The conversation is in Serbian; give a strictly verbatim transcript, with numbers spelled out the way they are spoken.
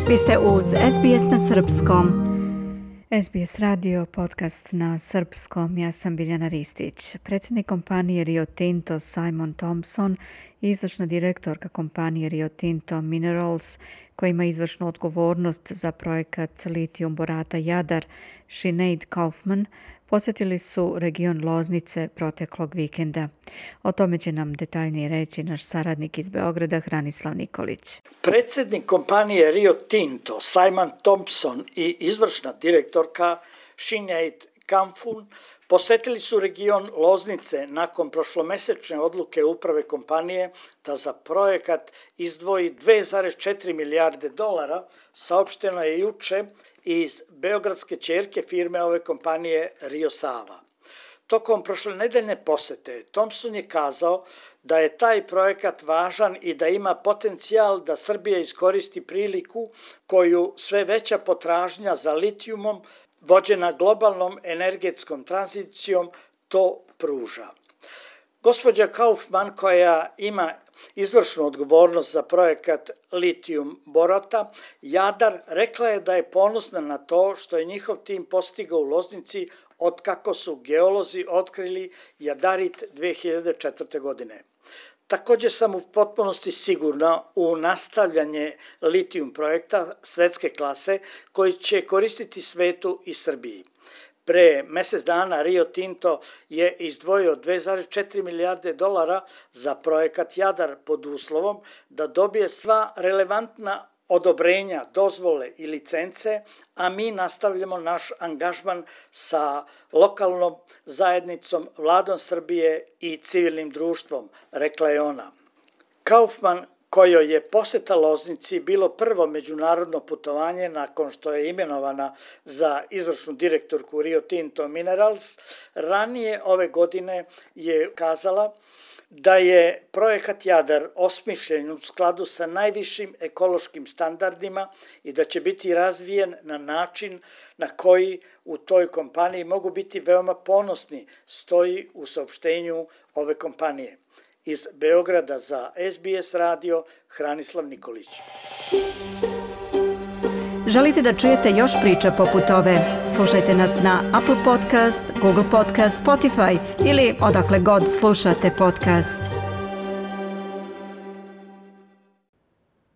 Vi ste uz S B S na srpskom. S B S radio, podcast na srpskom. Ja sam Biljana Ristić. Predsjednik kompanije Rio Tinto Simon Thompson i izvršna direktorka kompanije Rio Tinto Minerals, koja ima izvršnu odgovornost za projekat litijum borata Jadar, Sinead Kaufman, posjetili su region Loznice proteklog vikenda. O tome će nam detaljnije reći naš saradnik iz Beograda, Hranislav Nikolić. Predsjednik kompanije Rio Tinto Simon Thompson i izvršna direktorka Sinead Kaufman posjetili su region Loznice nakon prošlomesečne odluke uprave kompanije da za projekat izdvoji dve zarez četiri milijarde dolara, saopšteno je juče iz beogradske ćerke firme ove kompanije Rio Sava. Tokom prošlonedeljne posete Thompson je kazao da je taj projekat važan i da ima potencijal da Srbija iskoristi priliku koju sve veća potražnja za litijumom vođena globalnom energetskom tranzicijom to pruža. Gospođa Kaufman, koja ima izvršnu odgovornost za projekat litijum borata Jadar, rekla je da je ponosna na to što je njihov tim postigao u Loznici otkako su geolozi otkrili jadarit dve hiljade četvrte. godine. Također sam u potpunosti sigurna u nastavljanje litijum projekta svetske klase koji će koristiti svetu i Srbiji. Pre mjesec dana Rio Tinto je izdvojio dve zarez četiri milijarde dolara za projekat Jadar pod uslovom da dobije sva relevantna odobrenja, dozvole i licence, a mi nastavljamo naš angažman sa lokalnom zajednicom, vladom Srbije i civilnim društvom, rekla je ona. Kaufman, kojoj je posjeta Loznici bilo prvo međunarodno putovanje nakon što je imenovana za izvršnu direktorku Rio Tinto Minerals, ranije ove godine je kazala da je projekat Jadar osmišljen u skladu sa najvišim ekološkim standardima i da će biti razvijen na način na koji u toj kompaniji mogu biti veoma ponosni, stoji u saopštenju ove kompanije. Iz Beograda za S B S radio, Hranislav Nikolić. Želite da čujete još priča poput ove? Slušajte nas na Apple Podcast, Google Podcast, Spotify ili odakle god slušate podcast.